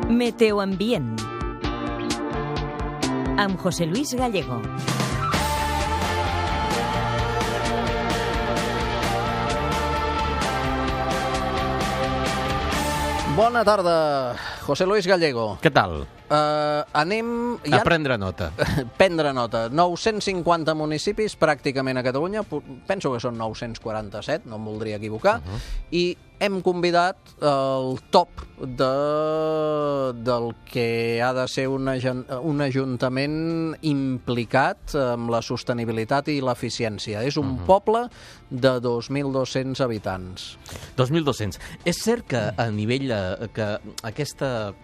Meteoambient amb José Luis Gallego. Bona tarda, José Luis Gallego. Què tal? Anem... A prendre nota. Prendre nota. 950 municipis pràcticament a Catalunya. Penso que són 947, no em voldria equivocar. I hem convidat el top del que ha de ser un ajuntament implicat amb la sostenibilitat i l'eficiència. És un poble de 2.200 habitants. 2.200. És cert que a nivell... que aquesta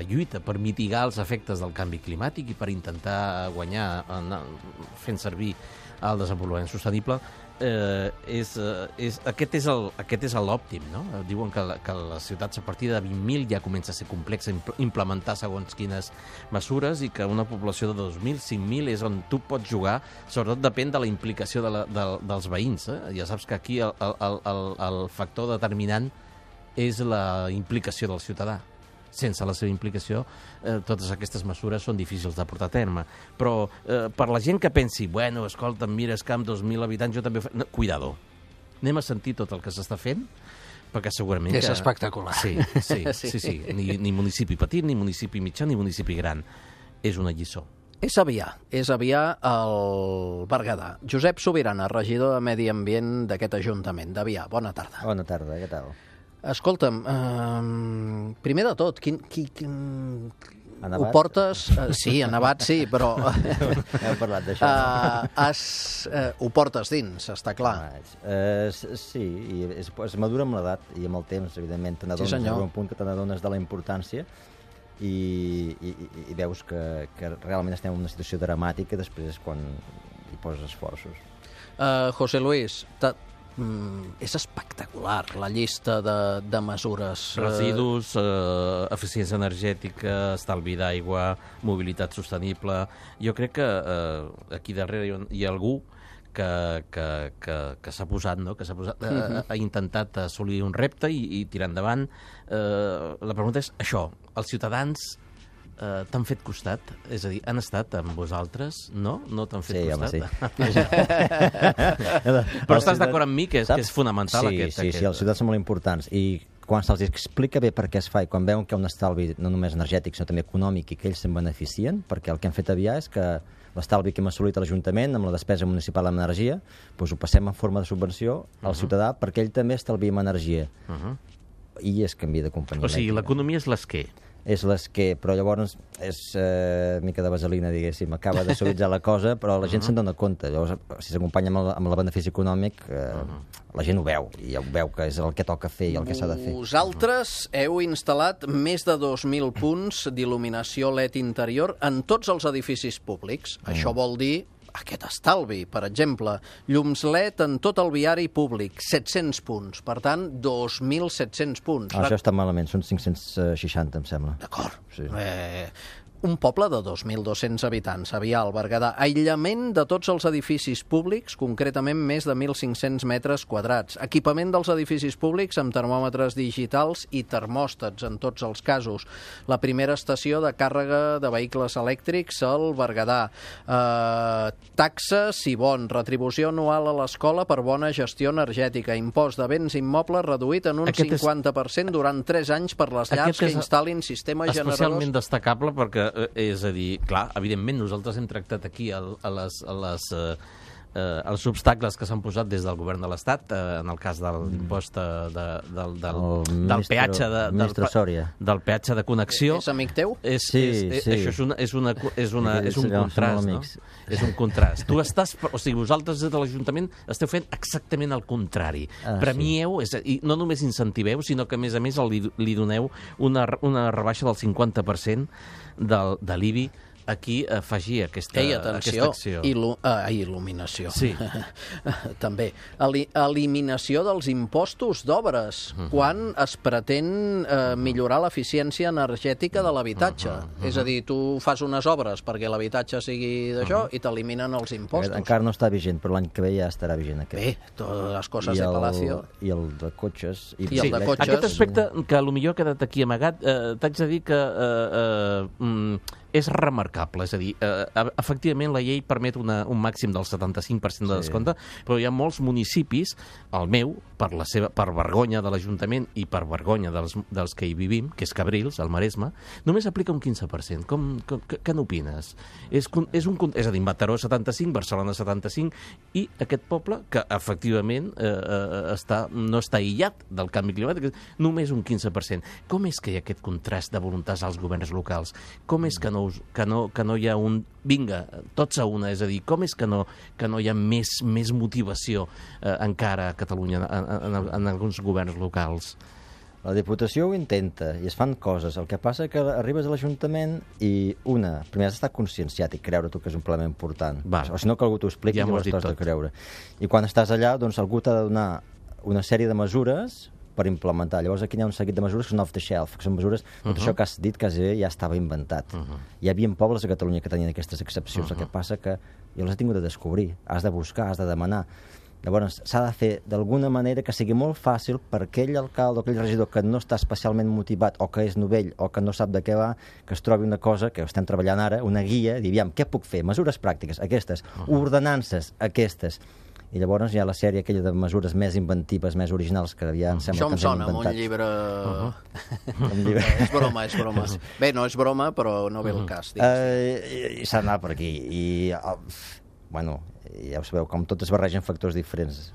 lluita per mitigar els efectes del canvi climàtic i per intentar guanyar fent servir el desenvolupament sostenible, aquest és l'òptim, no? Diuen que les ciutats a partir de 20.000 ja comença a ser complex implementar segons quines mesures i que una població de 2.000, 5.000 és on tu pots jugar, sobretot depèn de la implicació dels veïns. Ja saps que aquí el factor determinant és la implicació del ciutadà. Sense la seva implicació, totes aquestes mesures són difícils de portar a terme. Però per la gent que pensi, bueno, escolta, mira, és que amb 2.000 habitants jo també... No, cuidado. Anem a sentir tot el que s'està fent, perquè segurament... És espectacular. Sí. Ni municipi petit, ni municipi mitjà, ni municipi gran. És una lliçó. És Avià al Berguedà. Josep Sobirana, regidor de Medi Ambient d'aquest Ajuntament d'Avià. Bona tarda. Bona tarda, què tal? Escolta'm, primer de tot, ho portes... Sí, a nevat sí, però... Hem parlat d'això. Ho portes dins, està clar. Sí, i es madura amb l'edat i amb el temps, evidentment, t'adones a un punt que t'adones de la importància i veus que realment estem en una situació dramàtica després quan hi poses esforços. José Luis, és espectacular la llista de mesures. Residus, eficiència energètica, estalvi d'aigua, mobilitat sostenible. Jo crec que aquí darrere hi ha algú que s'ha posat, no? Ha intentat assolir un repte i tirar endavant. La pregunta és això, els ciutadans t'han fet costat? És a dir, han estat amb vosaltres? No? No t'han fet costat? Sí. Però estàs d'acord amb mi que és fonamental aquest? Sí, els ciutadans són molt importants i quan se'ls explica bé per què es fa i quan veuen que hi ha un estalvi no només energètic sinó també econòmic i que ells se'n beneficien, perquè el que hem fet a Avià és que l'estalvi que hem assolit a l'Ajuntament amb la despesa municipal en energia doncs ho passem en forma de subvenció al ciutadà perquè ell també estalvi en energia i es canvia de companyia. O sigui, l'economia és l'esquer. És l'esquer, però llavors és mica de vaselina, diguéssim, acaba de suavitzar la cosa, però la gent se'n dona compte. Llavors, si s'acompanya amb el benefici econòmic, la gent ho veu, i ja ho veu que és el que toca fer i el que s'ha de fer. Vosaltres heu instal·lat més de 2.000 punts d'il·luminació LED interior en tots els edificis públics. Això vol dir aquest estalvi, per exemple, llums LED en tot el viari públic, 700 punts, per tant, 2.700 punts. Això està malament, són 560, em sembla. D'acord. Sí. Un poble de 2.200 habitants, Avià, al Berguedà. Aïllament de tots els edificis públics, concretament més de 1.500 metres quadrats. Equipament dels edificis públics amb termòmetres digitals i termòstats, en tots els casos. La primera estació de càrrega de vehicles elèctrics al Berguedà. Taxa Sibon, retribució anual a l'escola per bona gestió energètica. Impost de béns immobles reduït en un 50% durant 3 anys per les llars que instal·lin sistema generadors... Especialment destacable perquè és a dir, clar, evidentment nosaltres hem tractat aquí els obstacles que s'han posat des del govern de l'Estat, en el cas de l'impost del peatge del peatge de connexió. És amic teu? Sí. Això és un contrast, no? És un contrast. Tu estàs, o sigui, vosaltres des de l'Ajuntament esteu fent exactament el contrari. Premieu, i no només incentiveu, sinó que a més li doneu una rebaixa del 50% de l'IBI aquí afegir aquesta acció. Il·luminació. Sí. També. Eliminació dels impostos d'obres, quan es pretén millorar l'eficiència energètica de l'habitatge. És a dir, tu fas unes obres perquè l'habitatge sigui d'això i t'eliminen els impostos. Encara no està vigent, però l'any que ve ja estarà vigent aquest. Bé, totes les coses de Palacio. I el de cotxes. I el de cotxes. Aquest aspecte que potser ha quedat aquí amagat, t'haig de dir que és remarcable, és a dir, efectivament la llei permet un màxim del 75% de descompte, però hi ha molts municipis, el meu, per vergonya de l'Ajuntament i per vergonya dels que hi vivim, que és Cabrils, al Maresme, només aplica un 15%. Què n'opines? És a dir, Mataró 75, Barcelona 75, i aquest poble, que efectivament no està aïllat del canvi climàtic, només un 15%. Com és que hi ha aquest contrast de voluntats als governs locals? Com és que no hi ha un vinga, tots a una, és a dir, com és que no hi ha més motivació encara a Catalunya en alguns governs locals? La Diputació ho intenta i es fan coses. El que passa que arribes a l'Ajuntament i primer has d'estar conscienciat i creure tu que és un problema important. O si no, que algú t'ho expliqui i llavors t'has de creure. I quan estàs allà, doncs algú t'ha de donar una sèrie de mesures per implementar. Llavors aquí hi ha un seguit de mesures que són off the shelf, que són mesures, tot això que has dit quasi ja estava inventat. Hi havia pobles a Catalunya que tenien aquestes excepcions, el que passa que jo les he tingut de descobrir, has de buscar, has de demanar. Llavors s'ha de fer d'alguna manera que sigui molt fàcil per aquell alcalde o aquell regidor que no està especialment motivat o que és novell o que no sap de què va, que es trobi una cosa que estem treballant ara, una guia, dir, aviam, què puc fer? Mesures pràctiques, aquestes, ordenances, aquestes. I llavors hi ha la sèrie aquella de mesures més inventives, més originals, que ja em sembla que ens hem inventat. Això em sona, un llibre... És broma. Bé, no és broma, però no ve el cas. S'ha d'anar per aquí. Bueno, ja ho sabeu, com tot es barregen factors diferents,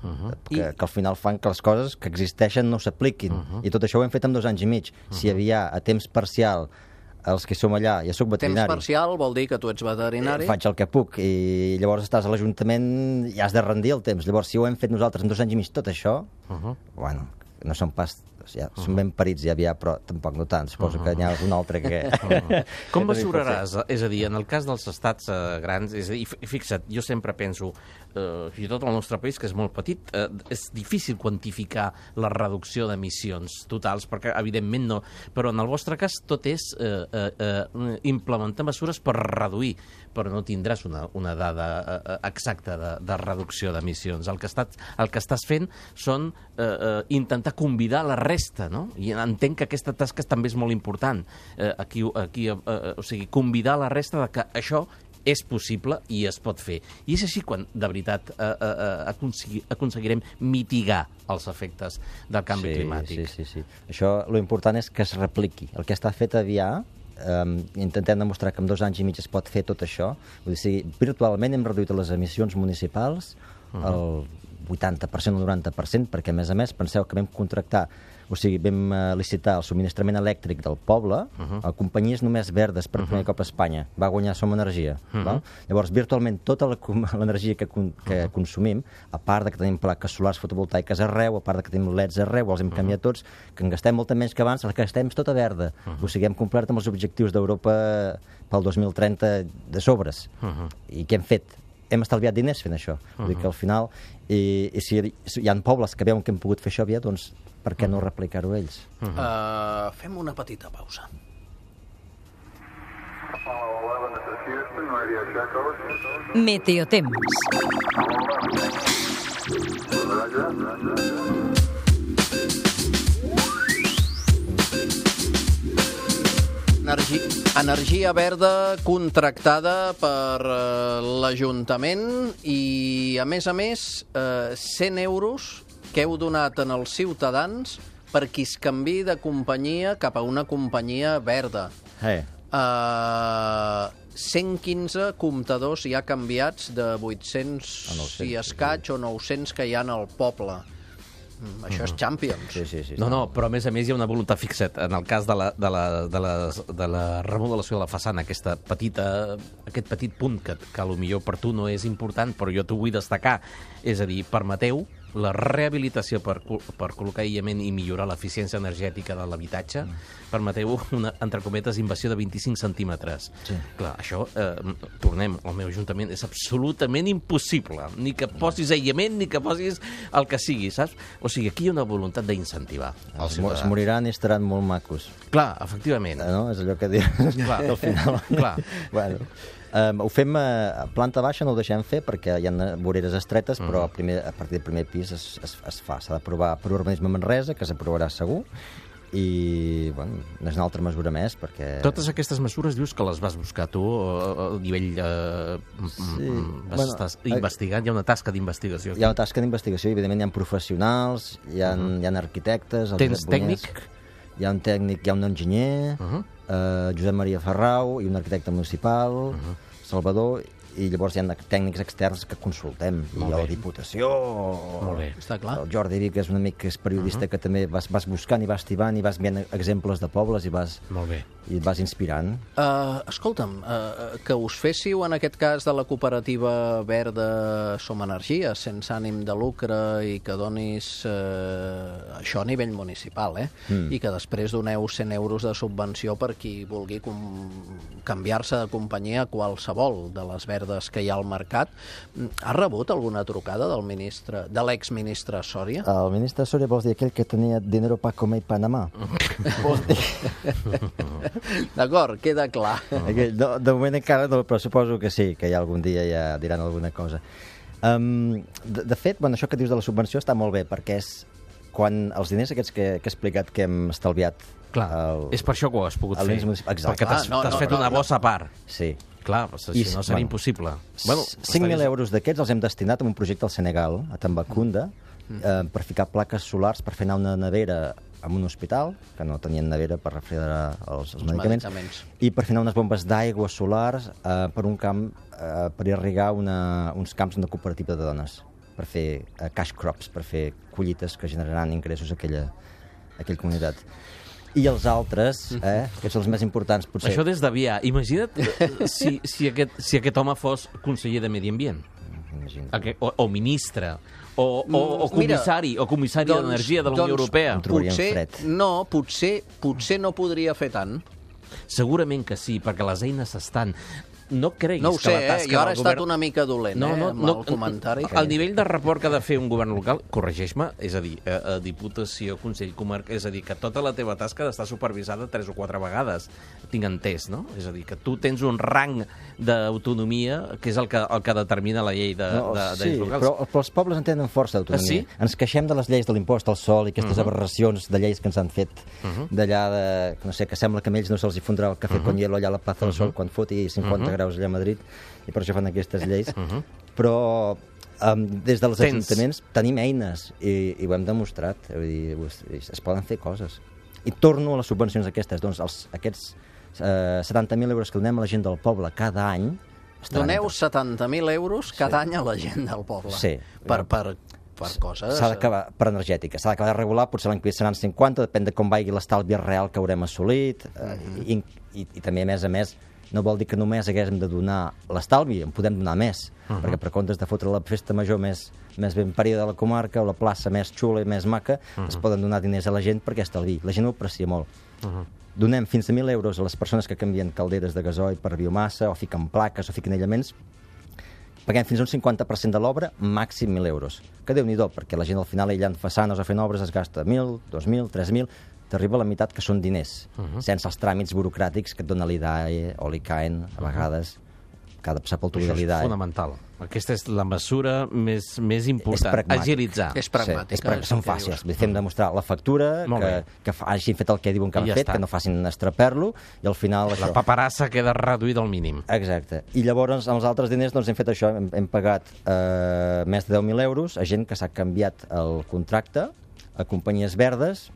que al final fan que les coses que existeixen no s'apliquin. I tot això ho hem fet en 2 anys i mig. Si hi havia a temps parcial els que som allà, ja soc veterinari. Temps parcial vol dir que tu ets veterinari. Faig el que puc i llavors estàs a l'Ajuntament i has de rendir el temps. Llavors, si ho hem fet nosaltres en 2 anys i mig tot això, bueno, no som pas... Som ben parits ja, però tampoc no tant. Suposo que n'hi ha un altre que... Com mesuraràs? És a dir, en el cas dels estats grans, és a dir, fixa't, jo sempre penso, fins i tot el nostre país, que és molt petit, és difícil quantificar la reducció d'emissions totals, perquè evidentment no, però en el vostre cas tot és implementar mesures per reduir, però no tindràs una dada exacta de reducció d'emissions. El que estàs fent són intentar convidar la resta, no? I entenc que aquesta tasca també és molt important. O sigui, convidar la resta de que això és possible i es pot fer. I és així quan, de veritat, aconseguirem mitigar els efectes del canvi climàtic. Sí. Això, lo important és que es repliqui. El que està fet aviar, intentem demostrar que en 2 anys i mig es pot fer tot això. Vull dir, virtualment hem reduït les emissions municipals el 80% o 90%, perquè, a més, penseu que vam contractar, o sigui, vam licitar el subministrament elèctric del poble a companyies només verdes per primer cop a Espanya. Va guanyar Som Energia. Llavors, virtualment, tota l'energia que consumim, a part de que tenim plaques solars fotovoltaiques arreu, a part de que tenim LEDs arreu, els hem canviat tots, que en gastem molta menys que abans, la que gastem és tota verda. O sigui, hem complert amb els objectius d'Europa pel 2030 de sobres. I què hem fet? Hem estalviat diners fent això. Vull dir que al final, i si hi ha pobles que veuen que hem pogut fer això aviat, doncs per què no replicar-ho ells? Fem una petita pausa. Meteotemps. Energia verda contractada per l'Ajuntament i, a més, 100 euros que heu donat als ciutadans per qui es canviï de companyia cap a una companyia verda. 115 comptadors ja canviats de 800 i escaig o 900 que hi ha al poble. Això és Champions. Sí. No, però a més hi ha una voluntat fixat. En el cas de la remodelació de la façana, aquest petit punt que potser per tu no és important, però jo t'ho vull destacar. És a dir, permeteu la rehabilitació per col·locar aïllament i millorar l'eficiència energètica de l'habitatge, permeteu una, entre cometes, invasió de 25 centímetres. Sí. Clar, això, tornem, al meu ajuntament és absolutament impossible. Ni que posis aïllament, ni que posis el que sigui, saps? O sigui, aquí hi ha una voluntat d'incentivar els ciutadans. Es moriran i estaran molt macos. Clar, efectivament. No? És allò que dius. Clar, al final. Clar. Bueno, ho fem a planta baixa, no ho deixem fer perquè hi ha voreres estretes, però a partir del primer pis es fa. S'ha d'aprovar per urbanisme Manresa, que s'aprovarà segur, i bueno, és una altra mesura més perquè... Totes aquestes mesures dius que les vas buscar tu a nivell... Estàs investigant, hi ha una tasca d'investigació. Hi ha una tasca d'investigació, evidentment hi ha professionals, hi ha arquitectes... Tens tècnic? Hi ha un tècnic, hi ha un enginyer, Josep Maria Ferrau, i un arquitecte municipal, Salvador, i llavors hi ha tècnics externs que consultem, i la Diputació, Està clar. el Jordi Vic, que és un amic que és periodista, que també vas buscant i vas tibant i vas veient exemples de pobles i vas inspirant. Escolta'm, que us féssiu en aquest cas de la cooperativa verda Som Energia, sense ànim de lucre, i que donis això a nivell municipal, i que després doneu 100 euros de subvenció per qui vulgui canviar-se de companyia qualsevol de les verdes que hi ha al mercat. Ha rebut alguna trucada del ministre, de l'exministre Sòria? El ministre Sòria vols dir aquell que tenia dinero para comer i Panamà? Vols dir? D'acord, queda clar. De moment encara no, però suposo que sí, que ja algun dia ja diran alguna cosa. De fet, això que dius de la subvenció està molt bé, perquè és quan els diners aquests que he explicat que hem estalviat... Clar, és per això que ho has pogut fer. Exacte. Perquè t'has fet una bossa a part. Sí. Clar, si no seria impossible. 5.000 euros d'aquests els hem destinat a un projecte al Senegal, a Tambacounda, per ficar plaques solars, per fer anar una nevera en un hospital, que no tenien nevera per refrigerar els medicaments, i per fer anar unes bombes d'aigua solars per un camp, per irrigar uns camps d'una cooperativa de dones, per fer cash crops, per fer collites que generaran ingressos a aquella comunitat. I els altres, que són els més importants, potser... Això des d'Avià. Imagina't si aquest home fos conseller de Medi Ambient. O ministre, o comissari, d'Energia de la Unió Europea. Potser no podria fer tant. Segurament que sí, perquè les eines estan... No creguis no ho sé, que la tasca jo ara he del estat govern... una mica dolent amb el comentari. El nivell de report que ha de fer un govern local, corregeix-me, és a dir, Diputació, Consell Comarca, és a dir, que tota la teva tasca està supervisada 3 o 4 vegades, tinc entès, no? És a dir, que tu tens un rang d'autonomia que és el que determina la llei de lleis locals. Sí, però els pobles en tenen força d'autonomia. Sí? Ens queixem de les lleis de l'impost al sol i aquestes aberracions de lleis que ens han fet d'allà, no sé, que sembla que a ells no se'ls hi fondrà el cafè con hielo allà a la Plaza del Sol quan foti 50 graus allà a Madrid, i per això fan aquestes lleis. Però des dels ajuntaments tenim eines i ho hem demostrat. Vull dir, es poden fer coses. I torno a les subvencions aquestes. Doncs aquests 70.000 euros que donem a la gent del poble cada any... Doneu 70.000 euros cada any a la gent del poble. Sí. Per coses... S'ha d'acabar per energètica. S'ha d'acabar de regular, potser l'any que ve seran 50, depèn de com vagi l'estalvi real que haurem assolit. I també, a més, no vol dir que només haguéssim de donar l'estalvi, en podem donar més, perquè per comptes de fotre la festa major més ben parida de la comarca o la plaça més xula i més maca, es poden donar diners a la gent perquè estalvi. La gent ho aprecia molt. Donem fins a 1.000 euros a les persones que canvien calderes de gasoil per biomassa, o fiquen plaques, o fiquen aïllaments. Paguem fins a un 50% de l'obra, màxim 1.000 euros. Que Déu-n'hi-do, perquè la gent al final aïllant façanes o fent obres es gasta 1.000, 2.000, 3.000... t'arriba a la meitat que són diners, sense els tràmits burocràtics que et dona l'IDAE o l'ICAEN, a vegades, que ha de passar pel tubi de l'IDAE. Això és fonamental. Aquesta és la mesura més important. Agilitzar. És pragmàtica. Són fàcils. Fem demostrar la factura, que hagin fet el que diuen que han fet, que no facin estraper-lo, i al final... La paperassa queda reduïda al mínim. Exacte. I llavors, amb els altres diners, hem fet això. Hem pagat més de 10.000 euros a gent que s'ha canviat el contracte a companyies verdes,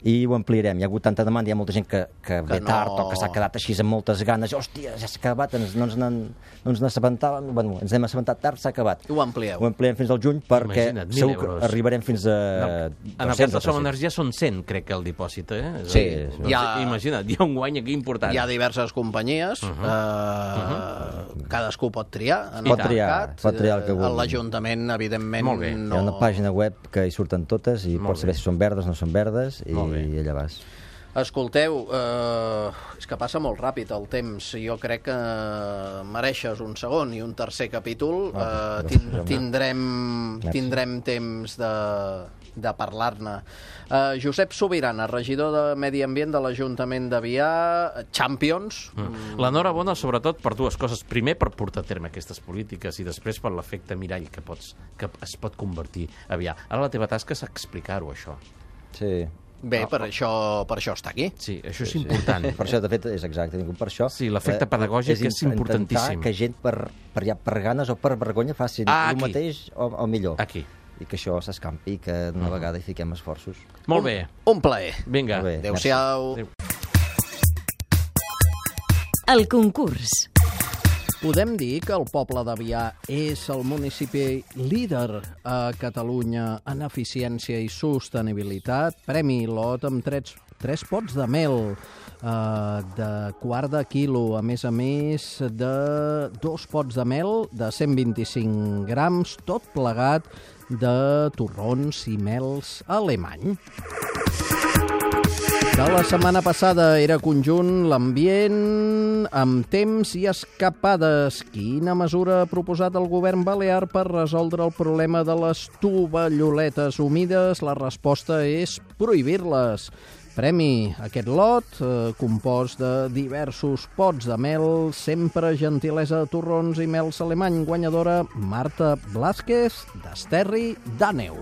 i ho ampliarem. Hi ha hagut tanta demanda, hi ha molta gent que ve tard o que s'ha quedat així amb moltes ganes. Hòstia, ja s'ha acabat, no ens n'assabentàvem, bueno, ens hem assabentat tard, s'ha acabat. Ho amplieu. Ho ampliem fins al juny perquè segur que arribarem fins a 200. En el cas de Som Energia són 100, crec que el dipòsit, eh? Sí. Imagina't, hi ha un guany aquí important. Hi ha diverses companyies, cadascú pot triar en pot triar el que vulgui. L'Ajuntament, evidentment, molt bé. no... Hi ha una pàgina web que hi surten totes i pots saber si són verdes o no són verdes i allà vas. Escolteu, és que passa molt ràpid el temps. Jo crec que mereixes un segon i un tercer capítol. Tindrem temps de parlar-ne. Josep Subirana, regidor de Medi Ambient de l'Ajuntament d'Avià, Champions. L'enhorabona, sobretot, per dues coses. Primer, per portar a terme aquestes polítiques i després per l'efecte mirall que es pot convertir Avià. Ara la teva tasca és explicar-ho, això. Sí. Bé, per això està aquí. Sí, això és important. Per això, de fet, és exacte. Per això, sí, l'efecte pedagògic és importantíssim. Intentar que gent per ganes o per vergonya facin el mateix o millor. Aquí. I que això s'escampi i que d'una vegada hi fiquem esforços. Molt bé. Un plaer. Vinga. Adéu-siau. El concurs. Podem dir que el poble d'Avià és el municipi líder a Catalunya en eficiència i sostenibilitat. Premi Lot amb 3 pots de mel de quart de quilo, a més de 2 pots de mel de 125 grams, tot plegat de torrons i mels alemany. De la setmana passada era conjunt l'ambient amb temps i escapades. Quina mesura ha proposat el govern balear per resoldre el problema de les tovalloletes humides? La resposta és prohibir-les. Premi aquest lot, compost de diversos pots de mel, sempre gentilesa de torrons i mels alemany, guanyadora Marta Blázquez d'Esterri d'Àneu.